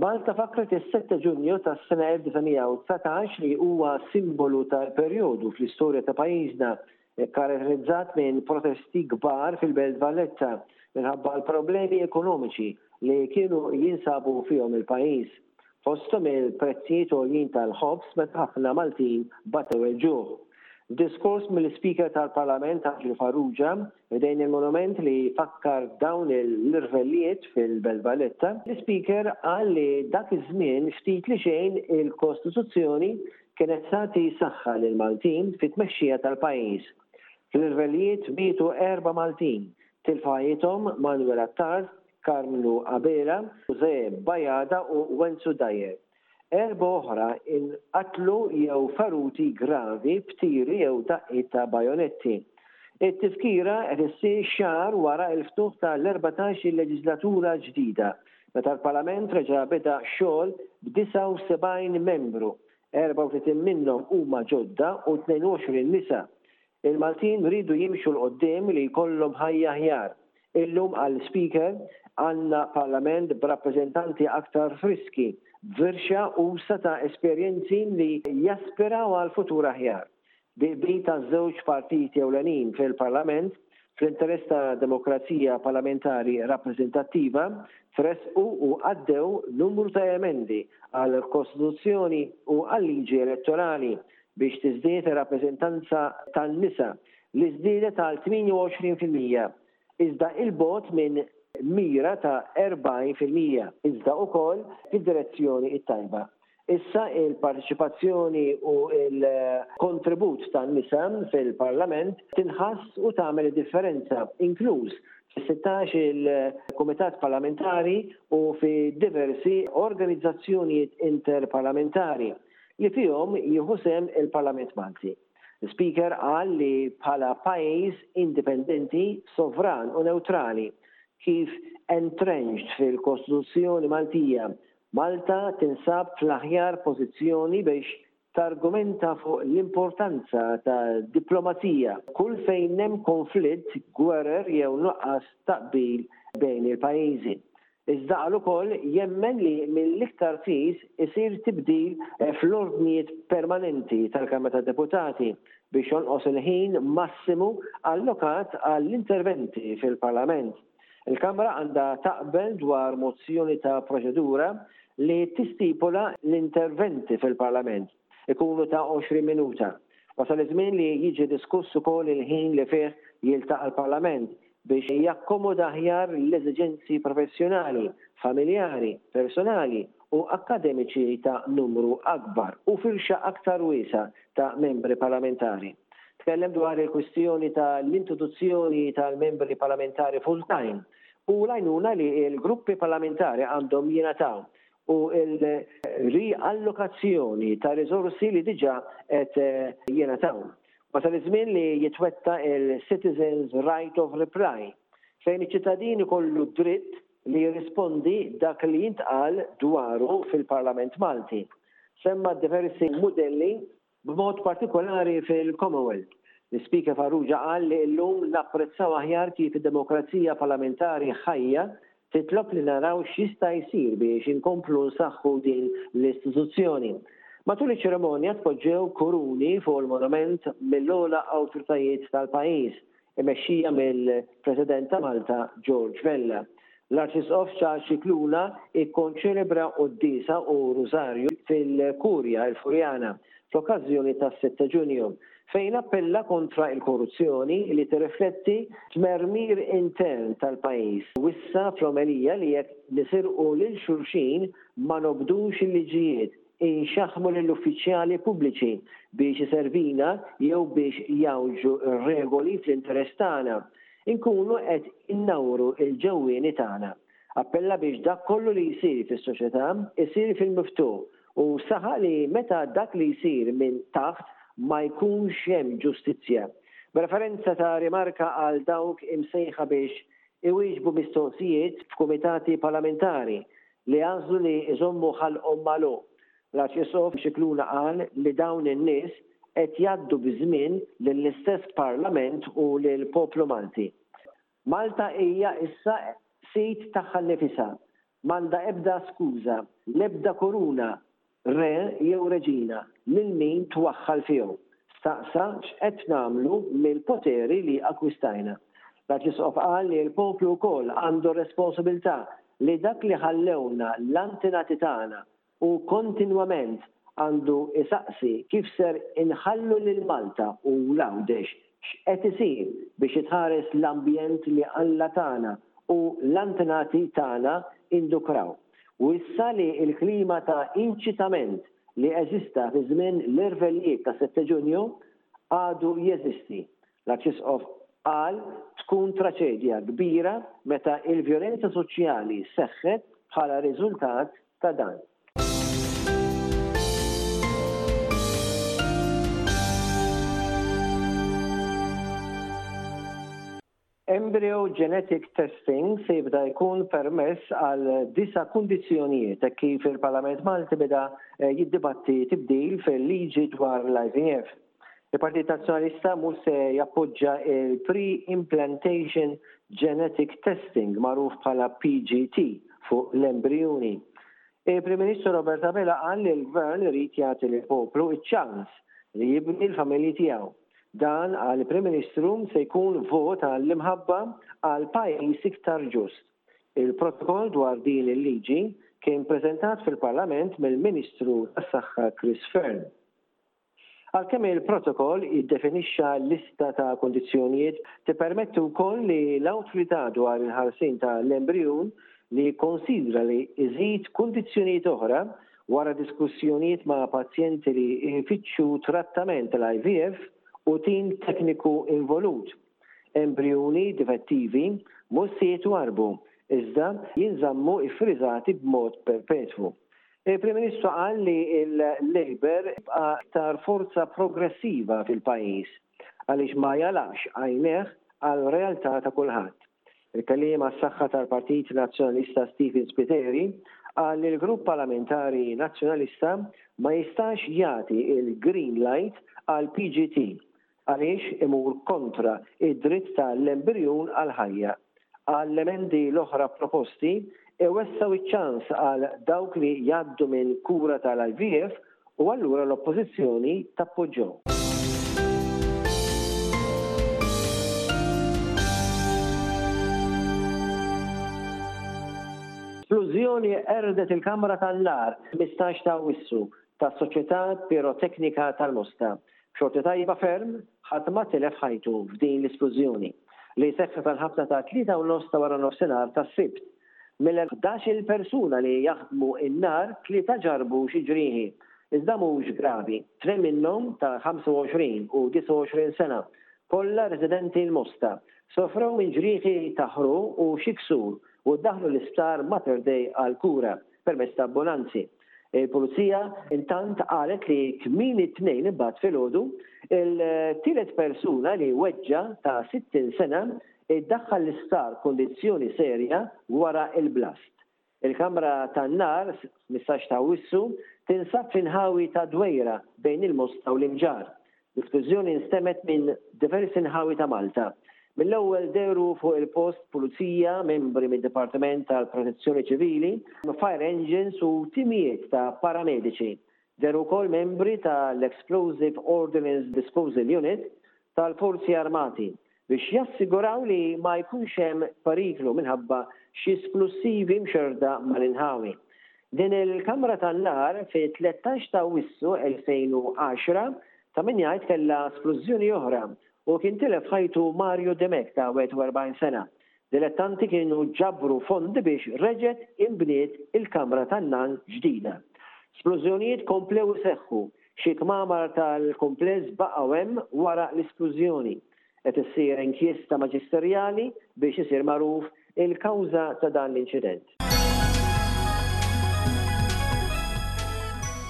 Malta fakkret is-7 Ġunju tas-sena 1919 li huwa simbolu tal-perjodu fl-istorja ta' pajjiżna kkaratterizzat minn protesti kbar fil-Belt Valletta minħabba l-problemi ekonomiċi li kienu jinsabu fihom il-pajjiż. Fosthom il-prezzijiet għoljin tal-ħobż meta ħafna Maltin batew il-ġuħ. F'diskors mill-Ispeaker tal-Parlament Anġlu Farrugia ħdejn il-monument li jfakkar dawn l-irvellijiet fil-Belt Valletta, l-Ispeaker qal li dak iż-żmien ftit li xejn il-Kostituzzjoni kienet tagħti saħħa lill-Maltin fit-tmexxija tal-pajjiż. Fl-irvellijiet mietu erba' Maltin, tilfu ħajjithom Manuel Attard, Karmnu Abela, José Bajada u Wenzu Dyer. Erbgħa oħra inqatlu jew feruti gravi b'tiri jew daqqiet ta' bajonetti. It-tifkira qed issir xahar wara l-ftuħ tal-14-il leġislatura ġdida, meta l-Parlament reġa' beda x-xogħol b'79 membru, 34 minnhom huma ġodda u 22 nisa. Il-Maltin riedu jimxu 'l quddiem li jkollhom ħajja aħjar. Illum qal l-Ispeaker, għandna Parlament b'rappreżentanti aktar friski, b'firxa usa' ta' esperjenzi li jaspiraw għal futur aħjar. Bi qbil taż-żewġ partiti ewlenin fil-Parlament, fl-interess ta' demokrazija parlamentari rappreżentattiva, tressqu u għaddew numru ta' emendi għall-Kostituzzjoni u għal-liġi elettorali biex tiżdied ir-rappreżentanza tan-nisa, li żdiedet għal 28%, iżda 'il bogħod minn mira ta' 40%, iżda wkoll fid-direzzjoni t-tajba. Issa il-parteċipazzjoni u l-kontribut tan-nisa fil-Parlament tinħass u tagħmel id-differenza, inkluż fis-16 il-Kumitat Parlamentari u fi diversi organizzazzjonijiet interparlamentari. li fihom jieħu sehem il-Parlament Malti. L-Ispeaker qal li bħala pajjiż indipendenti, sovran u newtrali, kif entrenched fil-Kostituzzjoni Maltija, Malta tinsab fl-aħjar pożizzjoni biex targumenta fuq l-importanza ta' diplomazija kull fejn hemm konflitt, gwerer jew nuqqas ta' qbil bejn il-pajjiżi. Iżda qal ukoll jemmen li mill-iktar fis isir tibdil fl-ordnijiet permanenti tal-Kamra tad-Deputati biex jonqos il-ħin massimu allokat għall-interventi fil-Parlament. Il-Kamra għandha taqbel dwar mozzjoni ta' proċedura li tistipula l-interventi fil-Parlament ikunu ta' 20 minuta. Wasal iż-żmien li jiġi diskuss ukoll il-ħin li fih jiltaqa' l-Parlament biex jakkomoda aħjar l-eżiġenzi professjonali, familjari, personali u akkademiċi ta' numru akbar u firxa aktar wiesgħa ta' membri parlamentari. Tkellem dwar il-kwistjoni ta' l-introduzzjoni tal-membri parlamentari full-time u l-għajnuna li l-gruppi parlamentari għandhom jingħataw u l-riallokazzjoni ta' riżorsi li diġà qed jingħataw. Wasal iż-żmien li jitwettaq il-Citizens Right of Reply, fejn iċ-ċittadin ikollu d-dritt li jirrispondi dak li jintqal dwaru fil-Parlament Malti. Semma diversi mudelli b'mod partikolari fil-Commonwealth. L-Ispeaker Farrugia qal li llum napprezzaw aħjar kif id-demokrazija parlamentari ħajja titlob li naraw x'jista' jsir biex inkomplu nsaħħu din l-istituzzjoni. Matul iċ-ċerimonja tpoġġew kuruni fuq il-monument mill-ogħla awtoritajiet tal-pajjiż imexxija mill-President ta' Malta George Vella. L-Arċisqof Charles Scicluna ikkonċelebra quddiesa u rużarju fil-Kurja il-Furjana fl-okkażjoni tas-6 ta' Ġunju, fejn appella kontra l-korruzzjoni li tirrifletti tmermir intern tal-pajjiż. Wissa fl-omelija li jekk nisirqu lil xulxin ma nobdux il-liġijiet, inxaħħmu lill-uffiċjali pubbliċi biex iservina jew biex jgħawġu r-regoli fl-interess tagħna, inkunu qed innawru l-ġewwieni tagħna. Appella biex dak kollu li jsir fis-soċjetà jsir fil-miftuħ u saħaq li meta dak li jsir minn taħt ma jkunx hemm ġustizzja. B'referenza ta' rimarka għal dawk imsejħa biex iwieġbu mistoqsijiet f'kumitati parlamentari li għażlu li jżommu ħalqhom magħluq. L-Arċisqof Scicluna qal li dawn in-nies qed jgħaddu biż-żmien lill-istess Parlament u lill-poplu Malti. Malta hija issa sid tagħha nnifisha. M'għandha ebda skuża, l-ebda kuruna, re jew reġina lil min twaħħal fihom. Staqsa x'qed nagħmlu mill-poteri li akkwistajna. L-Arċisqof qal li l-poplu wkoll għandu r-responsabiltà li dak li ħallewlna l-antenati tagħna u kontinwament għandu jsaqsi kif ser inħallu lil Malta u l-Għawdex x'qed isir biex jitħares l-ambjent li Alla tana u l-antenati tagħna indukraw. U issa li l-klima ta' inċitament li eżista fi żmien l-irvellijiet ta' Sette Ġunju għadu jeżisti, l-Arċisqof qal tkun traċedja kbira meta l-vjolenza soċjali seħħet bħala riżultat ta' dan. Embryo genetic testing se jibda jkun permess għal disa' kundizzjonijiet hekk kif il-Parlament Malti beda eh, jiddibatti tibdil fil-liġi dwar l-IVF. Il-Partit Nazzjonalista mhux se jappoġġa il-pre-implantation genetic testing magħruf bħala PGT fuq l-embrijuni. Il-Prim Ministru Robert Abela qal li l-Gvern irid jagħti lill-poplu ċ-ċans li jibni l-familji tiegħu. Dan, qal il-Prim Ministru, se jkun vot għall-imħabba għal pajjiż iktar ġust. Il-protokoll dwar din il-liġi kien preżentat fil-Parlament mill-Ministru tas-Saħħa Chris Fearne. Għalkemm il-Protokoll jiddefinixxa lista ta' kundizzjonijiet, tippermetti wkoll li l-Awtorità dwar il-Ħarsien ta' l-Embrijun li jikkonsidra li jżid kundizzjonijiet oħra wara diskussjonijiet ma' pazjenti li jfittxu trattament tal-IVF u tim tekniku involut. Embrijuni difettivi mhux se jitwarrbu iżda jinżammu ffriżati b'mod perpetwu. Il-Prim Ministru qal li l-Labour jibqa' aktar forza progressiva fil-pajjiż għaliex ma jagħlaqx għajnejh għal realtà ta' kulħadd. Il-Kelliem għas-Saħħa tal-Partit Nazzjonalista Stephen Spiteri qal li l-Grupp Parlamentari Nazzjonalista ma jistax jagħti l-green light għall-PGT għaliex imur kontra d-dritt ta' l-embrijun għall-ħajja. Qal l-emendi l-oħra proposti iwessgħu ċ-ċans għal dawk li jgħaddu minn kura tal-IVF u allura l-Oppożizzjoni tappoġġhom. Splużjoni qerdet il-kamra tan-nar 15 ta' Awwissu tas-Soċjetà Piroteknika tal-Mosta. B'xorti tajba ferm, ħadd ma tilef ħajtu f'din l-isplużjoni, li seħħet għall-ħabta ta' tlieta u nofs ta' waranofsinhar tas-Sibt. Mill-ħdax-il persuna li jaħdmu n-nar, tlieta ġarrbu xi ġrieħi, iżda mhux gravi. Tnejn minnhom, ta' 25 u 29 sena, kollha residenti l-Mosta, sofrew minn ġrieħi ta' ħruq u xi ksur u ddaħħlu l-isptar Mater Dei għall-kura permezz ta' ambulanzi. Il-Pulizija intant qalet li kmieni t-Tnejn imbagħad filgħodu, il-tielet persuna li weġġa' ta' 60 sena iddaħħal l-isptar b'kundizzjoni serja wara l-blast. Il-kamra tan-nar, 15 ta' Awwissu, tinsab fl-inħawi ta' Dwejra bejn il-Mosta u l-Imġarr. L-isplużjoni nstemgħet minn diversi nħawi ta' Malta. Mill-ewwel dehru fuq il-post pulizija, membri mid-Dipartiment tal-Protezzjoni Ċivili, fire engines u timijiet ta' paramediċi. Dehru wkoll membri tal-Explosive Ordnance Disposal Unit tal-Forzi Armati biex jassiguraw li ma jkunx hemm periklu minħabba xi splussivi mxerrda mal-inħawi. Din il-kamra tan-nar fit-13 ta' Awwissu 2010 ta' min jgħid kellha splużjoni oħra u kien tilef ħajtu Mario Dimech ta' 41 sena. Dilettanti kienu ġabru fondi biex reġgħet inbniet il-kamra tan-nar ġdida. Splużjonijiet komplew iseħħu, xi kmamar tal-kumpless baqgħu hemm wara l-isplużjoni. Qed issir inkjesta maġisterjali biex isir magħruf il-kawża ta' dan l-inċident.